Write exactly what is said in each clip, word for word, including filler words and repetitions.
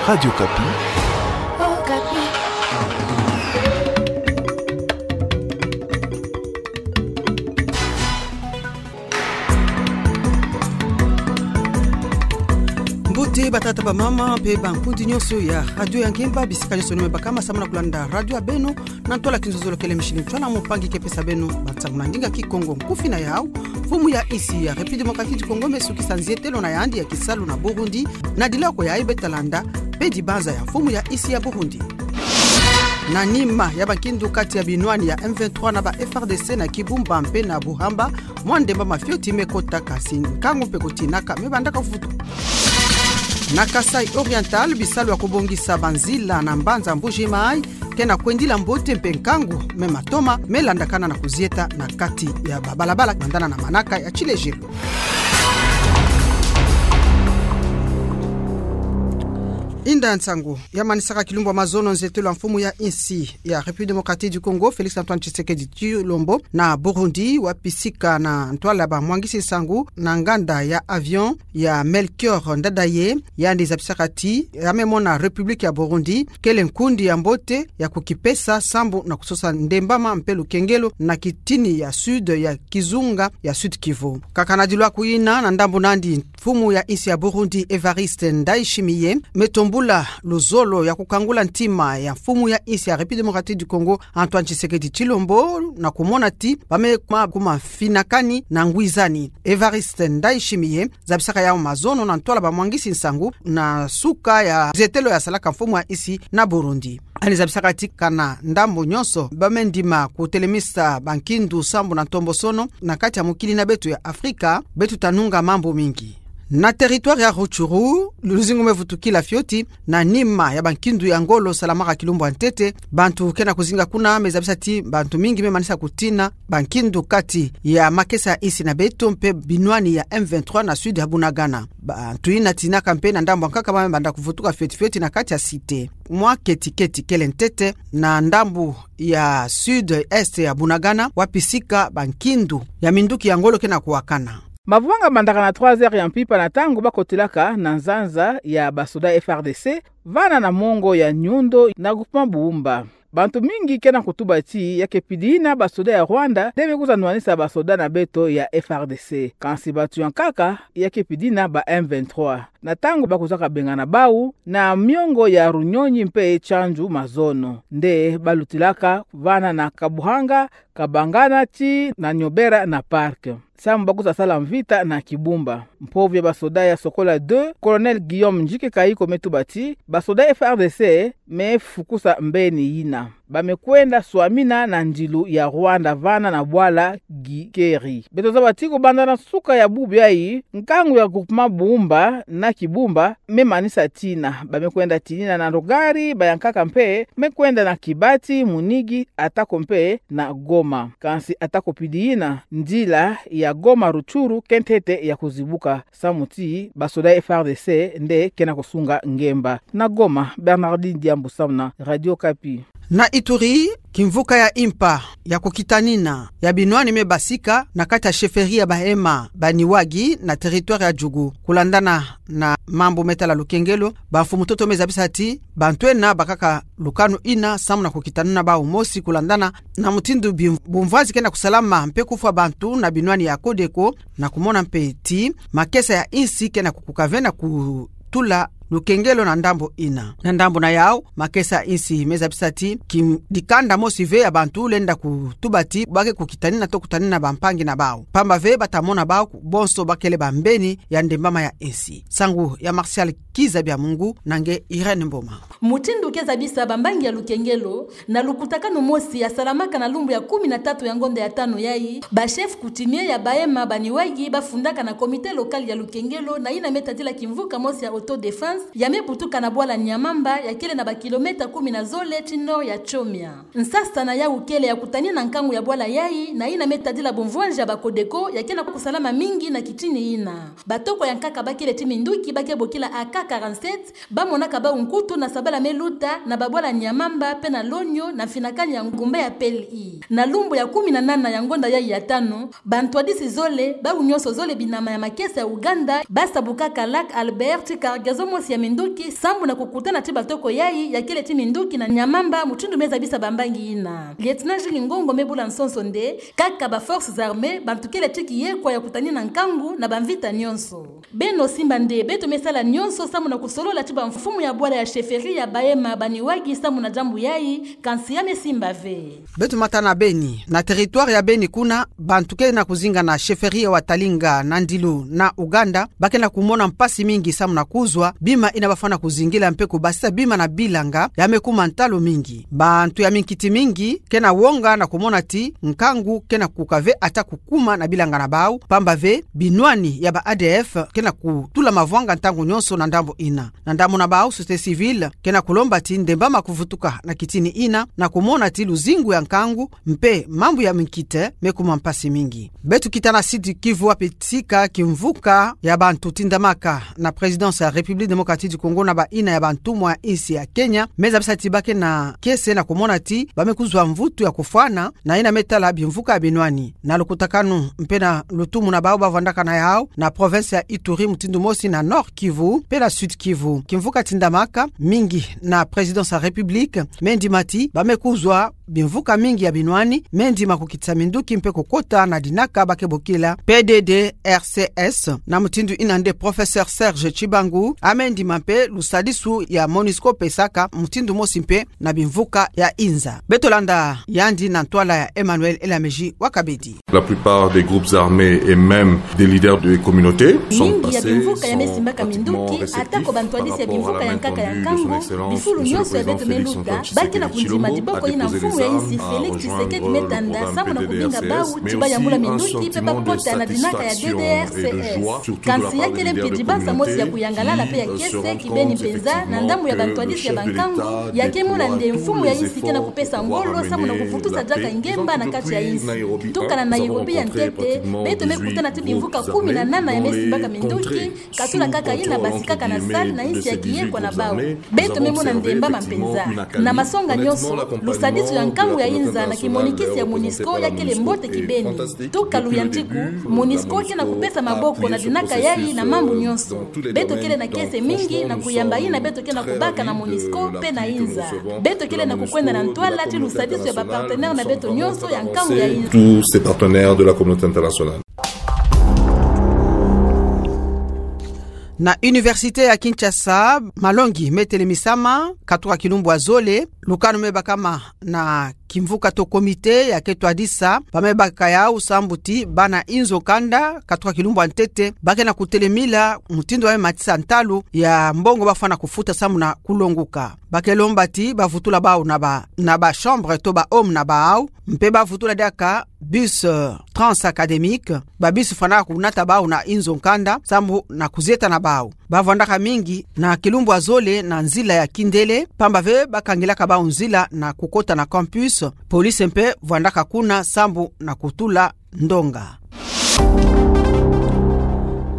Radio Okapi. Mbote batata, bamama mpe bankundi nyonso ya radio ya Ngemba, bisika nyonso beno me bakama samu na kulanda radio ya beno na ntwala kinzonzolo kele mishini ntwala mumpangi ke pesa beno bansangu na ndinga Kikongo. Nkufi na yau: mfumu ya insi ya République Démocratique du Congo me sukisa nzietelo na yandi ya kisalu na Burundi, na dilako yayi beta landa mpe dibanza ya mfumu ya insi ya Burundi. Na nima ya bankindu kati ya binwani ya M vingt-trois na ba F R D C na Kibumba mpe na Buhamba, mwa ndembama fioti me kota, kasi nkangu mpe kutinaka me bandaka vutuka. Na Kasaï Oriental, bisalu ya kubongisa banzila na mbanza Mbuji-Mayi ke na kwendila mbote mpe nkangu me matoma me landakana na kuzieta na kati ya babalabala bandana na manaka ya tilejelo. Inda nsangu ya manisaka kilumbu ya mazono nzietelo ya mfumu ya insi ya République Démocratique du Congo, Félix Antoine Tshisekedi Tshilombo, na Burundi, wapi sika na ntwala bamwangisi nsangu na nganda ya avion ya Melchior Ndadaye, yandi zabisaka ti ya me mona République ya Burundi kele nkundi ya mbote ya kukipesa sambu na kusosa ndembama mpe lukengelo na kitini ya sud ya kizunga ya Sud-Kivu. Kaka na dilwaku ina, na ndambu nandi, mfumu ya insi ya Burundi, Évariste Ndayishimiye, me tombula luzolo ya kukangula ntima ya mfumu ya insi ya République Démocratique du Congo, Antoine Tshisekedi Tshilombo, na kumona ti ba me kuma, kuma finakani na ngwizani. Évariste Ndayishimiye zabisaka yau mazono na ntwala bamwangisi nsangu na suka ya nzietelo yasalaka mfumu ya insi na Burundi. Yandi zabisaka ti kana ndambu nyonso ba me ndima kutelemisa bankindu sambu na ntombosono na kati ya mokili na beto ya Afrika, beto ta nunga mambu mingi. Na territoire ya Rutshuru, luzingu me vutukila fioti na nima ya bankindu ya ngolo salamaka kilumbu ya ntete. Bantu ke na kuzinga kuna me zabisa ti bantu mingi me manisa kutina bankindu kati ya makesa ya insi na beto mpe binwani ya M vingt-trois na sud ya Bunagana. Bantu ina tinaka mpe na ndambu ya nkaka ba me banda kuvutuka fioti fioti na kati ya cité. Mwa keti-keti kele ntete na ndambu ya sud-est ya Bunagana, wapi sika bankindu ya minduki ya ngolo ke na kuwakana. Mavwanga mandaka na trois heures ya mpimpa na ntangu ba kotilaka na nzanza ya basoda F R D C, vana na mongo ya Nyundo na groupement Buumba. Bantu mingi ke na kutuba ti ya ke pidina basoda ya Rwanda nde me kwiza nwanisa basoda na beto ya F R D C. Kansi bantu ya nkaka ya ke pidina ba M vingt-trois. Na ntangu ba kwizaka bengana bau na miongo ya Runyonyi mpe Tshanzu mazono, nde ba lutilaka vana na Kabuhanga, Kabangana tii na Nyobera na Parc, samu ba kwiza sala mvita na Kibumba. Mpovo ya basoda ya Sokola deux, Colonel Guillaume Ndjike Kayiko me tuba ti basoda F R D C me fukusa mbeni ina. Ba me kwenda swamina na ndilu ya Rwanda vana na bwala Gikeri. Beto zaba ti kubanda na suka ya bubu yayi, nkangu ya groupement Buumba na Kibumba me manisa tina. Ba me kwenda tinina na Ndogari, ba ya nkaka mpe me kwenda na Kibati, Munigi, atako mpe na Goma. Kansi atako pidina, nzila ya Goma-Rutshuru ke ntete ya kuzibuka, samu ti basoda F R D C nde ke na kusunga ngemba. Na Goma, Bernardine Diambu samu na Radio Okapi. Na Ituri, kimvuka ya impa ya kukitanina ya binwani me basika na kati ya chefferie ya Bahema Baniwagi na territoire ya Djugu. Kulandana na mambu me tala lukengelo, bamfumu-ntoto me zabisa ti bantu ena bakaka lukanu ina samu na kukitanina bau mosi kulandana na mutindu bim-, bumvwazi ke na kusalama mpe kufwa bantu na binwani ya Codeco, na kumona mpe ti makesa ya insi ke na kukuka ve na kutula lukengelo na ndambu ina. Na ndambu na yau, makesa ya insi me zabisa ti ki dikanda mosi ve ya bantu lenda kutuba ti ba ke kukitanina to kutanina bampangi na bau, pamba ve ba ta mona bau bonso ba kele bambeni ya ndembama ya insi. Nsangu ya Martial Kiza Biamungu na nge Irène Mboma. Mutindu ke zabisa bambangi ya lukengelo, na lukutakanu mosi ya salamaka na lumbu ya kumi na tatu ya ngonda ya tanu yayi, ba chef coutumier ya Bahema Baniwagi ba fundaka na comité local ya lukengelo na ina me tadila kimvuka mosi ya autodéfense ya me butuka na bwala Nyamamba, ya kele na ba kilomètre kumi na zole tii nord ya Tchomia. Nsasa na yau kele ya kutanina nkangu ya bwala yayi na ina me tadila bumvwanzi ya ba Codeco ya ke na kusalama mingi na kitini ina. Batoko ya nkaka ba kele tii minduki ba ke bokila A K quarante-sept, ba monaka bau nkutu na sabala me luta na babwala Nyamamba mpe na Lonyo na mfinakani ya ngumba ya P L I. Na lumbu ya kumi na nana ya ngonda yayi ya tanu, bantwadisi zole, bau nyonso zole binama ya makesa ya Uganda, ba sabukaka Lac Albert, cargaison mosi ya minduki, sambu na kukutana ti batoko yayi, ya kele ti minduki na nyamamba, mutindu me zabisa bambangi ina. Lieutenant Jules Ngongo me bula nsonso nde, kaka ba forces armées, bantu kele ti kiyekwa ya kutanina nkangu, na bamvita nyonso. Beno simba nde, beto me sala nyonso, sambu na kusolola ti bamfumu ya bwala ya chefferie ya Bahema, baniwagi, sambu na diambu yayi, kansi ya me simba ve. Beto mata na Beni. Na territoire ya Beni kuna, bantu ke na kuzinga na chefferie ya Watalinga na ndilu na Uganda, ba ke na kumona mpasi mingi sambu na kuzwa bima ina ba fwana kuzingila mpe kubasisa bima na bilanga, ya me kuma ntalu mingi. Bantu ya minkiti mingi ke na wonga na kumona ti nkangu ke na kuka ve ata kukuma na bilanga na bau, pamba ve binwani ya ba A D F ke na kutula mavwanga ntangu nyonso na ndambu ina. Na ndambu na bau, société civile ke na kulomba ti ndembama kuvutuka na kitini ina, na kumona ti luzingu ya nkangu mpe mambu ya minkiti me kuma mpasi mingi. Beto kita na Sud Kivu, wapi tika kimvuka ya bantu tindamaka na présidence ya République Démocratique du Congo na baina ya bantumwa ya insi ya Kenya, me zabisa ti ba ke na kiese na kumona ti ba me kuzwa mvutu ya kufwana na ina me tala bimvuka ya binwani. Na lukutakanu mpe na lutumu na bau, ba vwandaka na yau na province ya Ituri mutindu mosi, na Nord Kivu mpe na Sud Kivu. Kimvuka tindamaka mingi na présidence ya République me ndima ti ba me kuzwa bimvuka mingi ya binwani, me ndima kukitisa minduki mpe kukota na dinaka ba ke bokila P D D R C S. Na mutindu ina nde, professeur Serge Tshibangu a me ndima mpe lusadisu ya MONUSCO pesaka mutindu mosi mpe na bimvuka ya inza. Beto landa yandi na ntwala ya Emmanuel Elamezi wa Kabedi. La plupart des groupes armés et même des leaders de communautés sont passés, sont pratiquement réceptifs par rapport à la main tendue de son excellence, monsieur le président Félix Antoine Tshisekedi, qui a déposé les armes, a déposé les armes, a rejoindre le programme P D D R C S, mais aussi un sentiment de satisfaction et de joie, surtout de la part des leaders de communauté qui, euh, se rendront compte effectivement que le chef de l'État déploie tous les efforts pour pouvoir amener la paix. Disons que depuis Nairobi, à Nairobi, il y a pratiquement dix-huit groupes armés dont les contrées sous contrôle, entre guillemets, de ces dix-huit groupes armés. Nous avons observé honnêtement la comparaison entre les groupes armés, la communauté internationale, leur présence est là, MONUSCO, et fantastique. Depuis le début, la MONUSCO, euh, a pris son position dans tous les domaines, dans la transformation, nous sommes très ravis, euh, l'appui que nous recevons de la MONUSCO, et toute la communauté internationale, nous sommes vraiment très avancés. Tous ces partenaires de la communauté internationale. Na université ya Kinshasa, malongi me telemisama, katuka kilumbu ya zole, lukanu me bakama na kimvuka to comité ya ke twadisa, ba me baka yau sambu ti bana inzo kanda, katuka kilumbu ya ntete, ba ke na kutelemila mutindu ba me matisa ntalu ya mbongo ba fwana kufuta sambu na kulonguka. Ba ke lomba ti ba vutula bau na ba, na ba chambre to ba home na bau, mpe ba vutula diaka bus, euh, transacadémique, ba bus fwanaka kunata bau na inzo kanda, sambu na kuzieta na bau. Ba vwandaka mingi na kilumbu ya zole na nzila ya kindele, pamba ve ba kangilaka bau nzila na kukota na campus, police mpe vwandaka kuna sambu na kutula ndonga.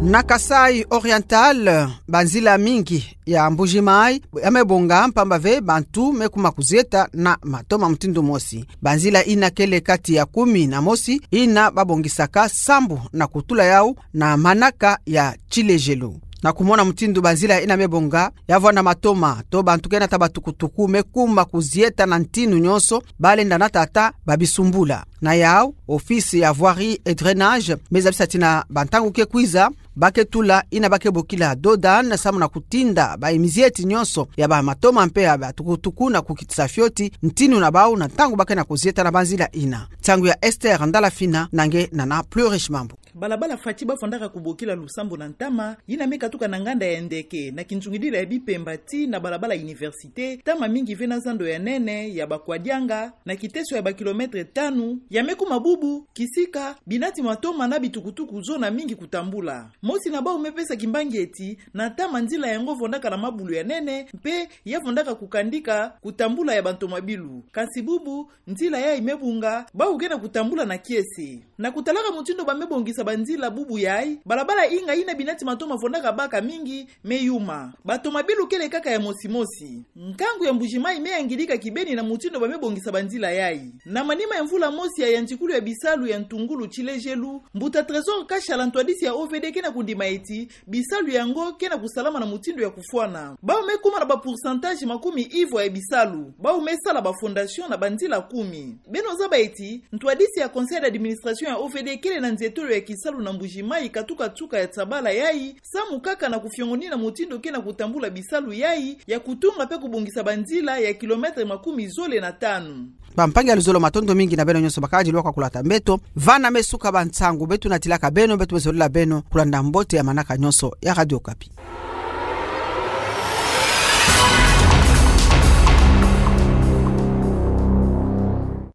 Na Kasaï Oriental, banzila mingi ya Mbuji-Mayi ya me bonga, pamba ve bantu me kuma kuzieta na matoma mutindu mosi. Banzila ina kele kati ya kumi na mosi ina ba bongisaka sambu na kutula yau na manaka ya tilejelu. Na kumona mutindu banzila ina me bonga, ya vwanda matoma to bantu ke nata batukutuku me kuma kuzieta na ntinu nyonso, ba lenda nata ata ba bisumbula. Na yau, office ya voirie et drainage me zabisa ti na bantangu ke kwiza, ba ke tula ina ba ke bokila dodan, sambu na kutinda ba imizieti nyonso ya ba matoma mpe ya batukutuku na kukitisa fioti ntinu na bau na ntangu ba ke na kuzieta na banzila ina. Nsangu ya Esther Ndala Fina, na nge Nana Plurish Mambu. Balabala Fatshi ba fondaka kubokila Lusambo na Ntama, yina me katuka na nganda ya Ndeke, na kinzungidila ya Bipemba tii na balabala Université, ntama mingi ve na zando ya nene ya ba Kwadianga, na kiteso ya ba kilomètre tanu, ya me kuma bubu, kisika binati matoma na bitukutuku zona mingi kutambula. Mosi na bau me pesa kimbangi eti, na ntama nzila yango fondaka na mabulu ya nene, mpe ya fondaka kukandika kutambula ya bantomabilu. Kasi bubu, nzila yayi me bunga, bau ke na kutambula na kiese. Na kutalaka mutindu ba me bongisa banzila bubu yayi, balabala inga yina binati matoma fondaka baka mingi me yuma. Batomabilu kele kaka ya mosimosi. Nkangu ya Mbuji-Mayi me yangidika kibeni na mutindu ba me bongisa banzila yayi. Na manima ya mvula mosi ya yantikulu ya bisalu ya ntungulu tilejelu, mbuta Trésor Kashala, ntwadisi ya O V D, ke na kundima eti bisalu yango ke na kusalama na mutindu ya kufwana. Bawu me kuma na ba pourcentage makumi ivwa ya bisalu. Bawu me sala ba fondation na banzila kumi. Beno zaba eti, ntwadisi ya conseil d'administration ya O V D kele na nzietolo ya kisalu na Mbuji-Mayi katukatuka ya tabala yayi, samu kaka na kufiongonina mutindu ke na kutambula bisalu yayi ya kutunga pe kubongisa banzila ya kilomètre makumi zole na tanu. Bampangi ya luzolo, matondo mingi na beno nyonso bakadi lwaka kulata mbeto. Vana me suka ba nsangu beto natilaka beno, beto me zolila beno kulanda mbote ya manaka nyonso ya Radio Okapi.